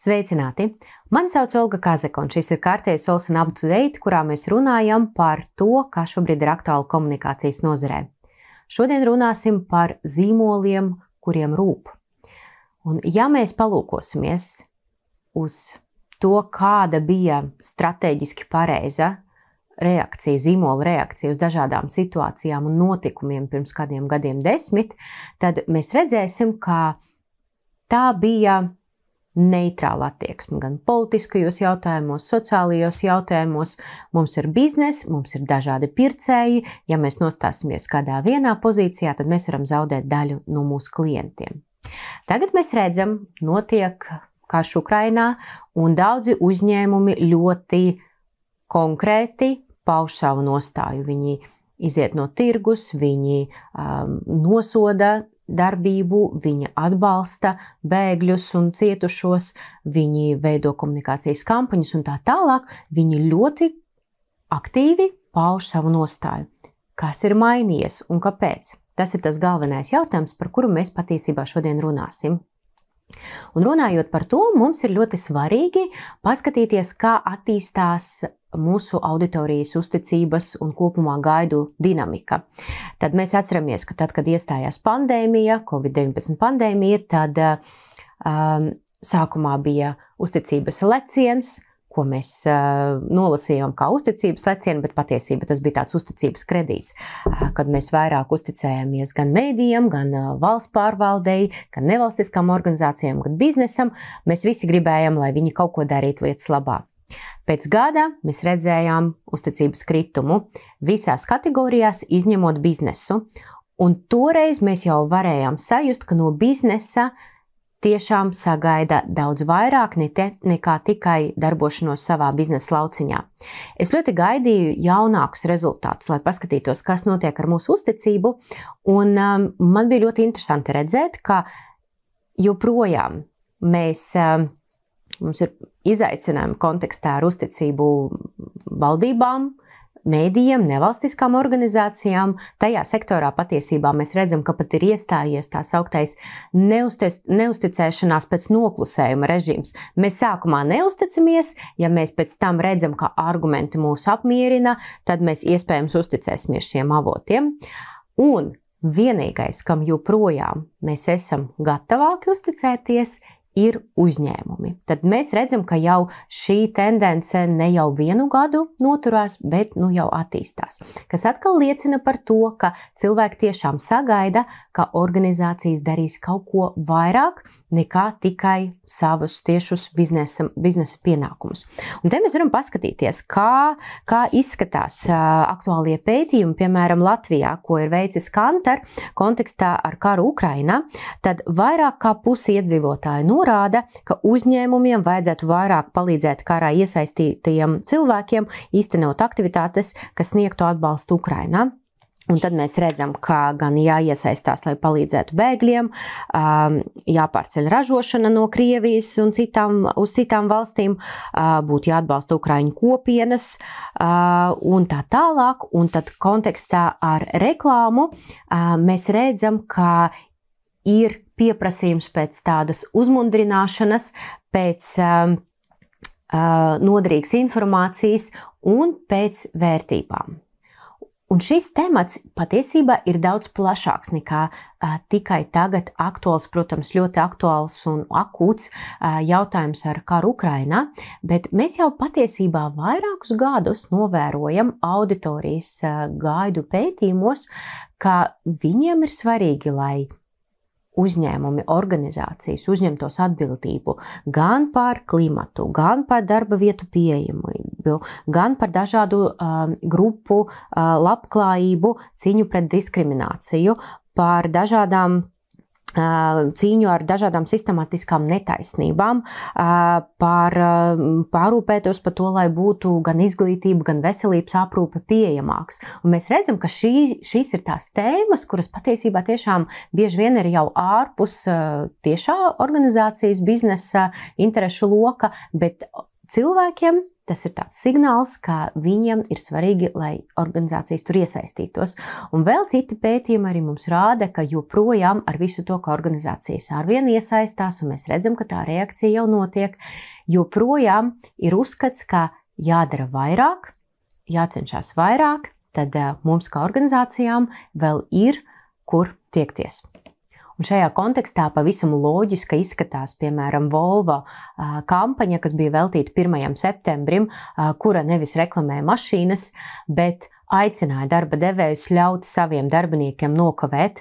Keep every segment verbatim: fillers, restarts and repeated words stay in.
Sveicināti! Mani sauc Olga Kazaka, un šis ir kārtējs Olsen Up to Date, kurā mēs runājam par to, kā šobrīd ir aktuāli komunikācijas nozarē. Šodien runāsim par zīmoliem, kuriem rūp. Un ja mēs palūkosimies uz to, kāda bija strateģiski pareiza reakcija, zīmola reakcija uz dažādām situācijām un notikumiem pirms kādiem gadiem desmit, tad mēs redzēsim, ka tā bija neitrāla attieksme gan politiskajos jautājumos, sociālajos jautājumos. Mums ir biznes, mums ir dažādi pircēji. Ja mēs nostāsimies kādā vienā pozīcijā, tad mēs varam zaudēt daļu no mūsu klientiem. Tagad mēs redzam, notiek karš Ukrainā, un daudzi uzņēmumi ļoti konkrēti pauž savu nostāju. Viņi iziet no tirgus, viņi um, nosoda darbību, viņi atbalsta bēgļus un cietušos, viņi veido komunikācijas kampaņas un tā tālāk. Viņi ļoti aktīvi pauž savu nostāju. Kas ir mainījies un kāpēc? Tas ir tas galvenais jautājums, par kuru mēs patiesībā šodien runāsim. Un runājot par to, mums ir ļoti svarīgi paskatīties, kā attīstās mūsu auditorijas uzticības un kopumā gaidu dinamika. Tad mēs atceramies, ka tad, kad iestājās pandēmija, covid deviņpadsmit pandēmija, tad um, sākumā bija uzticības leciens, ko mēs uh, nolasījām kā uzticības lecienu, bet patiesībā tas bija tāds uzticības kredīts, uh, kad mēs vairāk uzticējāmies gan mēdījiem, gan uh, valsts pārvaldei, gan nevalstiskām organizācijām, gan biznesam. Mēs visi gribējām, lai viņi kaut ko darītu lietas labā. Pēc gada mēs redzējām uzticības kritumu visās kategorijās, izņemot biznesu. Un toreiz mēs jau varējām sajust, ka no biznesa tiešām sagaida daudz vairāk nekā tikai darbošanos savā biznesa lauciņā. Es ļoti gaidīju jaunākus rezultātus, lai paskatītos, kas notiek ar mūsu uzticību, un um, man bija ļoti interesanti redzēt, ka joprojām mēs, um, mums ir izaicinājumi kontekstā ar uzticību valdībām, mēdījiem, nevalstiskām organizācijām. Tajā sektorā patiesībā mēs redzam, ka pat ir iestājies tā sauktais neuztic, neusticēšanās pēc noklusējuma režīms. Mēs sākumā neusticamies, ja mēs pēc tam redzam, ka argumenti mūs apmierina, tad mēs iespējams uzticēsimies šiem avotiem. Un vienīgais, kam joprojām mēs esam gatavāki uzticēties, ir uzņēmumi. Tad mēs redzam, ka jau šī tendence ne jau vienu gadu noturās, bet nu jau attīstās. Kas atkal liecina par to, ka cilvēki tiešām sagaida, ka organizācijas darīs kaut ko vairāk nekā tikai savus tiešus biznesa, biznesa pienākumus. Un te mēs varam paskatīties, kā, kā izskatās uh, aktuālie pētījumi, piemēram, Latvijā, ko ir veicis Kantar kontekstā ar karu Ukrainā. Tad vairāk kā pusi iedzīvotāju no rāda, ka uzņēmumiem vajadzētu vairāk palīdzēt karā iesaistītajiem cilvēkiem, īstenot aktivitātes, kas sniegtu atbalstu Ukrainā. Un tad mēs redzam, ka gan jāiesaistās, lai palīdzētu bēgļiem, jāpārceļ ražošana no Krievijas un citām, uz citām valstīm, būtu jāatbalsta Ukraiņu kopienas un tā tālāk. Un tad kontekstā ar reklāmu mēs redzam, ka ir pieprasījums pēc tādas uzmundrināšanas, pēc uh, uh, noderīgas informācijas un pēc vērtībām. Un šis temats patiesībā ir daudz plašāks nekā uh, tikai tagad aktuāls, protams, ļoti aktuāls un akūts uh, jautājums ar karu Ukrainā, bet mēs jau patiesībā vairākus gadus novērojam auditorijas uh, gaidu pētījumos, ka viņiem ir svarīgi, lai uzņēmumi, organizācijas uzņemtos atbildību gan par klimatu, gan par darba vietu pieejamību, gan par dažādu um, grupu uh, labklājību, cīņu pret diskrimināciju, par dažādām cīņu ar dažādām sistematiskām netaisnībām, par pārūpētos par to, lai būtu gan izglītība, gan veselības aprūpe pieejamāks. Un mēs redzam, ka šī, šīs ir tās tēmas, kuras patiesībā tiešām bieži vien ir jau ārpus tiešā organizācijas biznesa interešu loka, bet cilvēkiem tas ir tāds signāls, ka viņiem ir svarīgi, lai organizācijas tur iesaistītos. Un vēl citi pētījumi arī mums rāda, ka joprojām ar visu to, ka organizācijas arvien iesaistās, un mēs redzam, ka tā reakcija jau notiek, joprojām ir uzskats, ka jādara vairāk, jācenšas vairāk, tad mums kā organizācijām vēl ir, kur tiekties. Un šajā kontekstā pavisam loģiski izskatās, piemēram, Volvo kampaņa, kas bija veltīta pirmajam septembrim, kura nevis reklamēja mašīnas, bet aicināja darba devējus ļaut saviem darbiniekiem nokavēt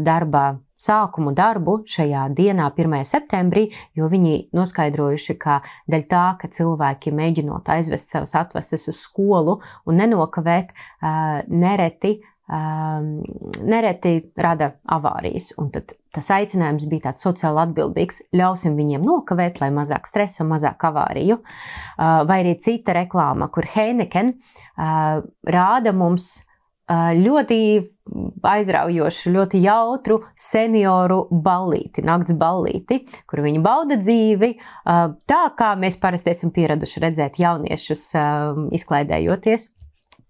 darba sākumu darbu šajā dienā, pirmajā septembrī, jo viņi noskaidrojuši, ka dēļ tā, ka cilvēki mēģinot aizvest savas atvases uz skolu un nenokavēt, nereti Um, nereti rada avārijas, un tad tas aicinājums bija tāds sociāli atbildīgs. Ļausim viņiem nokavēt, lai mazāk stresa, mazāk avāriju. Uh, vai arī cita reklāma, kur Heineken uh, rāda mums uh, ļoti aizraujošu, ļoti jautru senioru ballīti, nakts ballīti, kur viņi bauda dzīvi, uh, tā kā mēs parasti esam pieraduši redzēt jauniešus uh, izklaidējoties.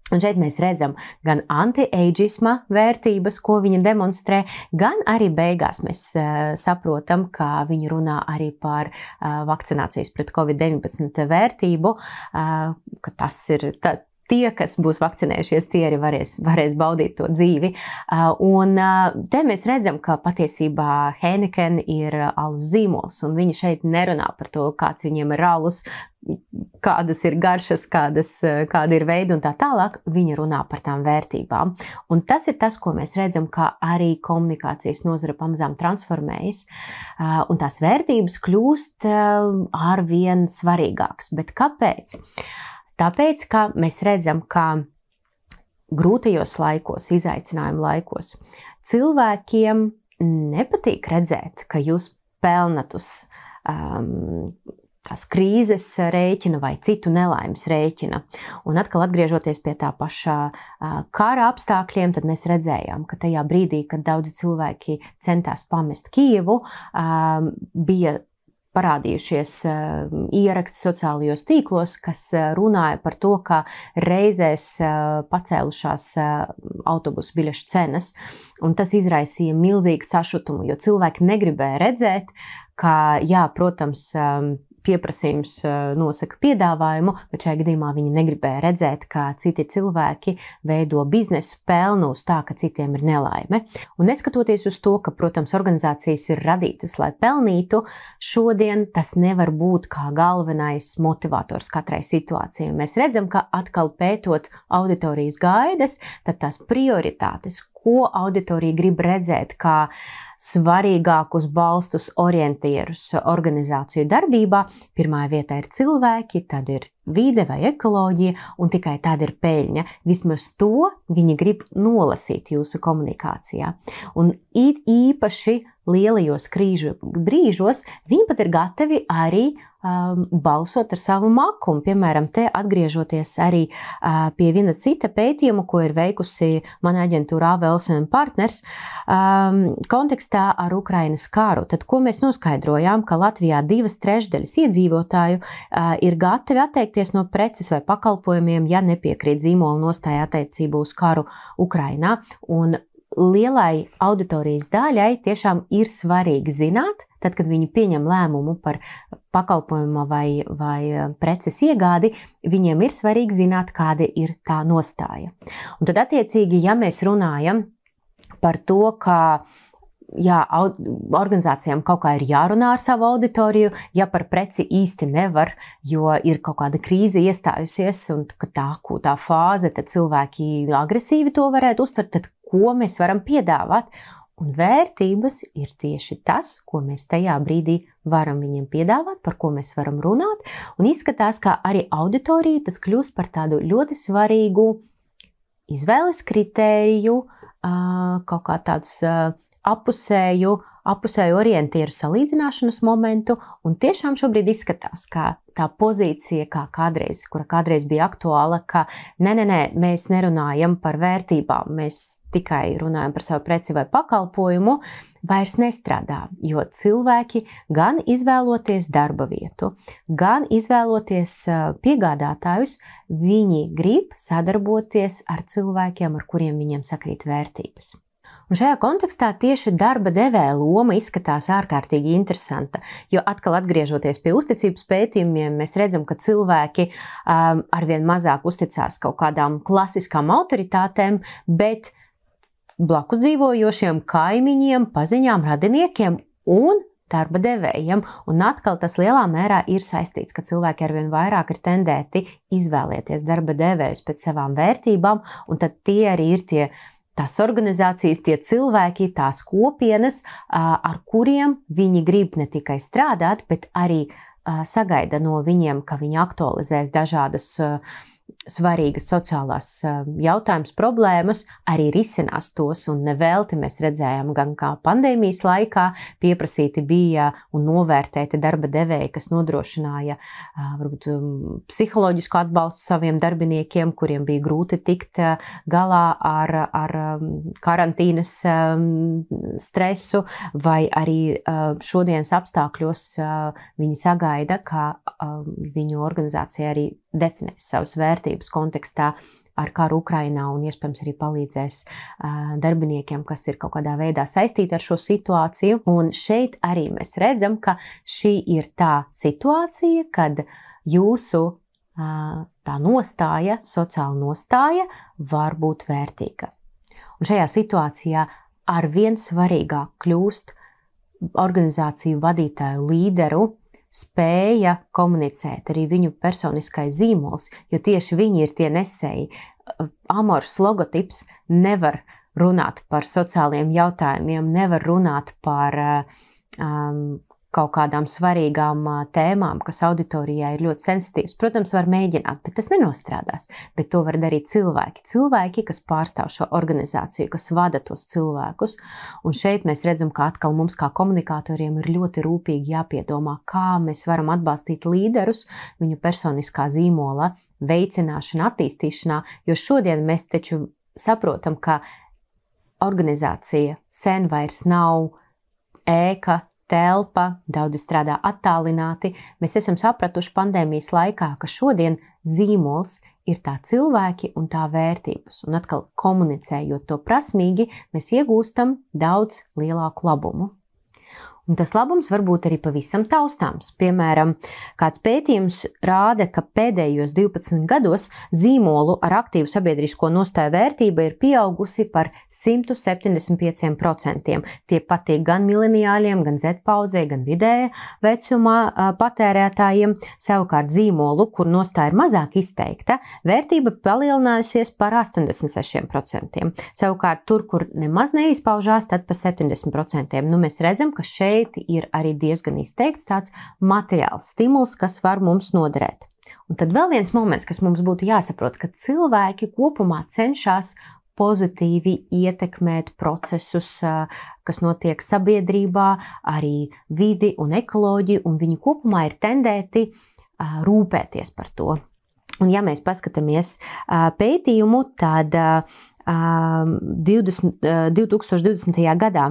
Un šeit mēs redzam gan anti-ageisma vērtības, ko viņa demonstrē, gan arī beigās mēs uh, saprotam, ka viņi runā arī par uh, vakcinācijas pret covid deviņpadsmit vērtību, uh, ka tas ir tā, tie, kas būs vakcinējušies, tie arī varēs, varēs baudīt to dzīvi. Uh, un uh, te mēs redzam, ka patiesībā Heineken ir alus zīmols, un viņi šeit nerunā par to, kāds viņiem ir alus, kādas ir garšas, kādas, kāda ir veida un tā tālāk, viņi runā par tām vērtībām. Un tas ir tas, ko mēs redzam, kā arī komunikācijas nozara pamazām transformējas, un tās vērtības kļūst arvien svarīgākas. Bet kāpēc? Tāpēc, ka mēs redzam, ka grūtajos laikos, izaicinājumu laikos, cilvēkiem nepatīk redzēt, ka jūs pelnat uz um, tās krīzes rēķina vai citu nelaimes rēķina. Un atkal atgriežoties pie tā pašā kara apstākļiem, tad mēs redzējām, ka tajā brīdī, kad daudzi cilvēki centās pamest Kijevu, bija parādījušies ieraksti sociālajos tīklos, kas runāja par to, ka reizēs pacēlušās autobusu biļešu cenas, un tas izraisīja milzīgu sašutumu, jo cilvēki negribēja redzēt, ka, jā, protams, pieprasījums nosaka piedāvājumu, bet šajā gadījumā viņi negribēja redzēt, ka citi cilvēki veido biznesu pelnu uz tā, ka citiem ir nelaime. Un neskatoties uz to, ka, protams, organizācijas ir radītas, lai pelnītu, šodien tas nevar būt kā galvenais motivators katrai situācijai. Mēs redzam, ka atkal pētot auditorijas gaidas, tad tās prioritātes, ko auditorija grib redzēt kā svarīgākus balstus orientierus organizāciju darbībā. Pirmā vietā ir cilvēki, tad ir vide vai ekoloģija, un tikai tad ir peļņa. Vismaz to viņi grib nolasīt jūsu komunikācijā. Un īpaši lielajos krīžu brīžos viņi pat ir gatavi arī um, balsot ar savu makumu. Piemēram, te atgriežoties arī uh, pie viena cita pētījuma, ko ir veikusi mana aģentūra A V L S M Partners, um, kontekstā ar Ukrainas karu. Tad, ko mēs noskaidrojām, ka Latvijā divas trešdaļas iedzīvotāju uh, ir gatavi atteikties no preces vai pakalpojumiem, ja nepiekrīt zīmola nostāja attiecībā uz karu Ukrainā. Un lielai auditorijas daļai tiešām ir svarīgi zināt, tad, kad viņi pieņem lēmumu par pakalpojumu vai, vai preces iegādi, viņiem ir svarīgi zināt, kāda ir tā nostāja. Un tad, attiecīgi, ja mēs runājam par to, ka jā, organizācijām kaut kā ir jārunā ar savu auditoriju, ja par preci īsti nevar, jo ir kaut kāda krīze iestājusies un ka tā akūtā fāze, tad cilvēki agresīvi to varētu uztvert, tad ko mēs varam piedāvāt? Un vērtības ir tieši tas, ko mēs tajā brīdī varam viņiem piedāvāt, par ko mēs varam runāt, un izskatās, ka arī auditorija tas kļūst par tādu ļoti svarīgu izvēles kritēriju, kaut kā tāds apusēju apusēju orientieru salīdzināšanas momentu, un tiešām šobrīd izskatās, ka tā pozīcija, kā kādreiz, kura kādreiz bija aktuāla, ka nē, nē, nē, mēs nerunājam par vērtībām, mēs tikai runājam par savu preci vai pakalpojumu, vairs nestrādā, jo cilvēki gan izvēloties darba vietu, gan izvēloties piegādātājus, viņi grib sadarboties ar cilvēkiem, ar kuriem viņiem sakrīt vērtības. Un šajā kontekstā tieši darba devēja loma izskatās ārkārtīgi interesanta, jo atkal atgriežoties pie uzticības pētījumiem, mēs redzam, ka cilvēki um, arvien mazāk uzticās kaut kādām klasiskām autoritātēm, bet blakus dzīvojošiem kaimiņiem, paziņām, radiniekiem un darba devējiem. Un atkal tas lielā mērā ir saistīts, ka cilvēki arvien vairāk ir tendēti izvēlēties darba devējus pēc savām vērtībām, un tad tie arī ir tie tās organizācijas, tie cilvēki, tās kopienas, ar kuriem viņi grib ne tikai strādāt, bet arī sagaida no viņiem, ka viņi aktualizēs dažādas svarīgas sociālās jautājumas, problēmas, arī risinās tos, un nevelti mēs redzējām gan kā pandēmijas laikā pieprasīti bija un novērtēti darba devēji, kas nodrošināja varbūt psiholoģisku atbalstu saviem darbiniekiem, kuriem bija grūti tikt galā ar, ar karantīnas stresu, vai arī šodienas apstākļos viņi sagaida, ka viņu organizācija arī definēs savas vērtības kontekstā ar karu Ukrainā un iespējams arī palīdzēs darbiniekiem, kas ir kaut kādā veidā saistīti ar šo situāciju. Un šeit arī mēs redzam, ka šī ir tā situācija, kad jūsu tā nostāja, sociāla nostāja var būt vērtīga. Un šajā situācijā arvien svarīgāk kļūst organizāciju vadītāju līderu spēja komunicēt, arī viņu personiskais zīmols, jo tieši viņi ir tie nesēji. Amors logotips nevar runāt par sociāliem jautājumiem, nevar runāt par um, kaut kādām svarīgām tēmām, kas auditorijā ir ļoti sensitīvas. Protams, var mēģināt, bet tas nenostrādās. Bet to var darīt cilvēki. Cilvēki, kas pārstāv šo organizāciju, kas vada tos cilvēkus. Un šeit mēs redzam, ka atkal mums kā komunikatoriem ir ļoti rūpīgi jāpiedomā, kā mēs varam atbalstīt līderus viņu personiskā zīmola veicināšanā, attīstīšanā, jo šodien mēs taču saprotam, ka organizācija sen vairs nav ēka, telpa, daudzi strādā attālināti. Mēs esam sapratuši pandēmijas laikā, ka šodien zīmols ir tā cilvēki un tā vērtības. Un atkal komunicējot to prasmīgi, mēs iegūstam daudz lielāku labumu. Un tas labums var būt arī pavisam taustāms. Piemēram, kāds pētījums rāda, ka pēdējos divpadsmit gados zīmolu ar aktīvu sabiedrisko nostāju vērtība ir pieaugusi par simt septiņdesmit pieci procenti. Tie patīk gan mileniāļiem, gan Z paudzei, gan vidēja vecumā patērētājiem. Savukārt zīmolu, kur nostāja ir mazāk izteikta, vērtība palielinājusies par astoņdesmit seši procenti. Savukārt tur, kur nemaz neizpaužās, tad par septiņdesmit procenti. Nu, mēs redzam, ka šeit ir arī diezgan izteikts tāds materiāls stimuls, kas var mums noderēt. Un tad vēl viens moments, kas mums būtu jāsaprot, ka cilvēki kopumā cenšas pozitīvi ietekmēt procesus, kas notiek sabiedrībā, arī vidi un ekoloģiju, un viņi kopumā ir tendēti rūpēties par to. Un ja mēs paskatāmies pētījumu, tad divdesmit, divtūkstoš divdesmitajā gadā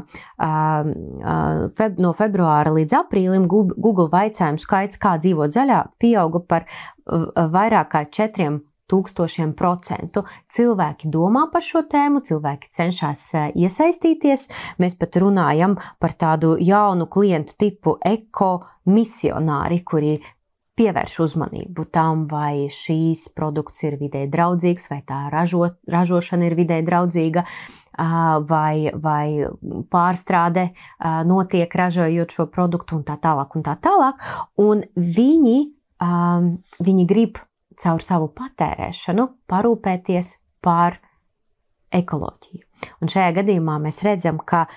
no februāra līdz aprīlim Google vaicojumu skaits, kā dzīvot zaļā, pieauga par vairāk kā četriem tūkstošiem procentu. Cilvēki domā par šo tēmu, cilvēki cenšas iesaistīties. Mēs pat runājam par tādu jaunu klientu tipu ekomisionāri, kuri pievērš uzmanību tam, vai šīs produkts ir videi draudzīgs, vai tā ražo, ražošana ir videi draudzīga, vai, vai pārstrāde notiek ražojot šo produktu un tā tālāk un tā tālāk. Un viņi, viņi grib caur savu patērēšanu parūpēties par ekoloģiju. Un šajā gadījumā mēs redzam, ka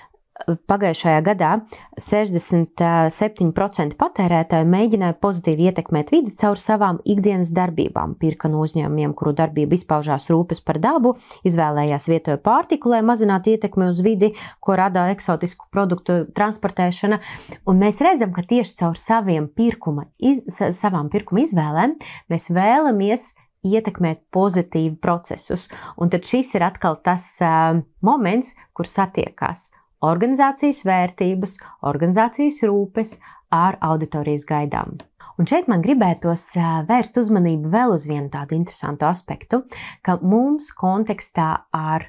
pagājušajā gadā sešdesmit septiņi procenti patērētāju mēģināja pozitīvi ietekmēt vidi caur savām ikdienas darbībām. Pirka no uzņēmumiem, kuru darbība izpaužās rūpes par dabu, izvēlējās vietoju pārtiku, lai mazinātu ietekmi uz vidi, ko rada eksotisku produktu transportēšana. Un mēs redzam, ka tieši caur saviem pirkuma, iz, savām pirkuma izvēlēm mēs vēlamies ietekmēt pozitīvi procesus. Un tad šis ir atkal tas uh, moments, kur satiekās organizācijas vērtības, organizācijas rūpes ar auditorijas gaidām. Un šeit man gribētos vērst uzmanību vēl uz vienu tādu interesantu aspektu, ka mums kontekstā ar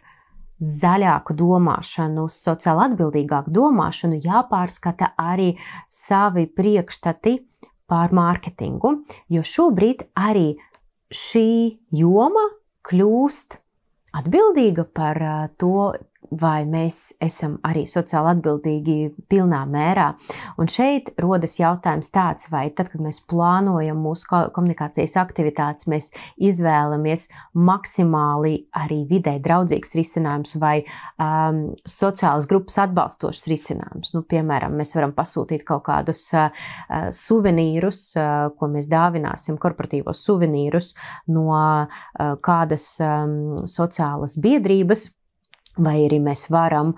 zaļāku domāšanu, sociāli atbildīgāku domāšanu jāpārskata arī savi priekšstati par mārketingu, jo šobrīd arī šī joma kļūst atbildīga par to, vai mēs esam arī sociāli atbildīgi pilnā mērā. Un šeit rodas jautājums tāds, vai tad, kad mēs plānojam mūsu komunikācijas aktivitātes, mēs izvēlamies maksimāli arī vidē draudzīgs risinājums vai um, sociālas grupas atbalstošs risinājums. Nu, piemēram, mēs varam pasūtīt kaut kādus uh, suvenīrus, uh, ko mēs dāvināsim, korporatīvos suvenīrus no uh, kādas um, sociālas biedrības, vai arī mēs varam,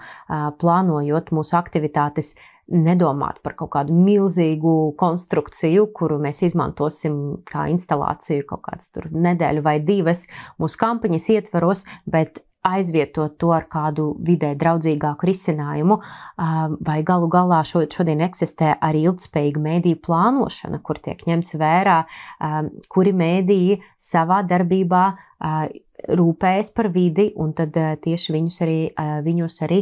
plānojot mūsu aktivitātes, nedomāt par kaut kādu milzīgu konstrukciju, kuru mēs izmantosim kā instalāciju kaut kāds tur nedēļu vai divas mūsu kampaņas ietvaros, bet aizvietot to ar kādu vidē draudzīgāku risinājumu, vai galu galā šodien eksistē arī ilgtspējīga mēdīju plānošana, kur tiek ņemts vērā, kuri mēdīji savā darbībā rūpējas par vidi, un tad tieši viņus arī, viņus arī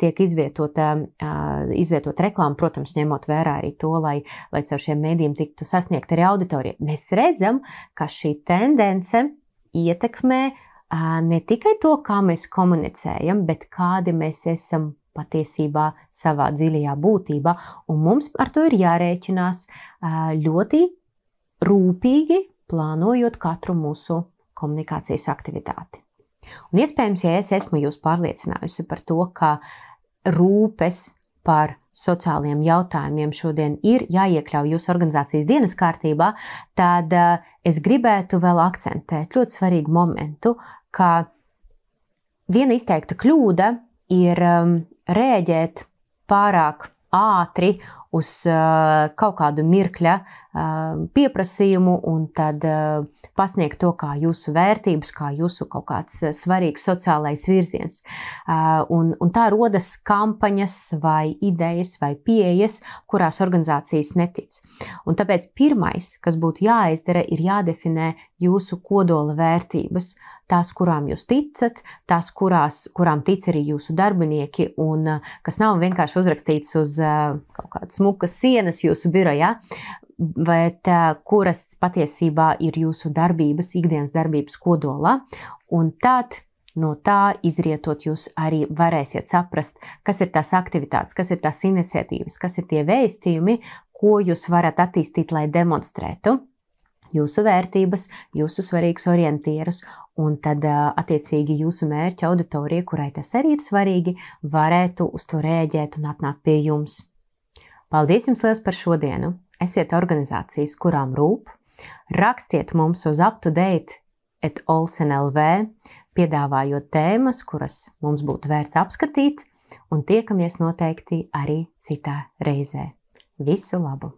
tiek izvietota, izvietot reklāma, protams, ņemot vērā arī to, lai, lai caur šiem mēdījiem tiktu sasniegt arī auditorija. Mēs redzam, ka šī tendence ietekmē ne tikai to, kā mēs komunicējam, bet kādi mēs esam patiesībā savā dziļajā būtībā, un mums ar to ir jārēķinās ļoti rūpīgi, plānojot katru mūsu komunikācijas aktivitāti. Un iespējams, ja es esmu jūs pārliecinājusi par to, ka rūpes par sociālajiem jautājumiem šodien ir jāiekļauj jūsu organizācijas dienas kārtībā, tad es gribētu vēl akcentēt ļoti svarīgu momentu, ka viena izteikta kļūda ir rēģēt pārāk ātri uz uh, kaut kādu mirkļa uh, pieprasījumu un tad uh, pasniegt to kā jūsu vērtības, kā jūsu kaut kāds svarīgs sociālais virziens. Uh, un, un tā rodas kampaņas vai idejas vai pieejas, kurās organizācijas netic. Un tāpēc pirmais, kas būtu jāizdara, ir jādefinē jūsu kodola vērtības, tās, kurām jūs ticat, tās, kurās, kurām tic arī jūsu darbinieki un uh, kas nav vienkārši uzrakstīts uz uh, kaut kādas smukas sienas jūsu birojā, bet uh, kuras patiesībā ir jūsu darbības, ikdienas darbības kodolā, un tad no tā izrietot jūs arī varēsiet saprast, kas ir tās aktivitātes, kas ir tās iniciatīvas, kas ir tie vēstījumi, ko jūs varat attīstīt, lai demonstrētu jūsu vērtības, jūsu svarīgus orientierus, un tad attiecīgi jūsu mērķa auditorija, kurai tas arī ir svarīgi, varētu uz to rēģēt un atnākt pie jums. Paldies jums liels par šodienu! Esiet organizācijas, kurām rūp, rakstiet mums uz up to date at olsen dot l v, piedāvājot tēmas, kuras mums būtu vērts apskatīt, un tiekamies noteikti arī citā reizē. Visu labu!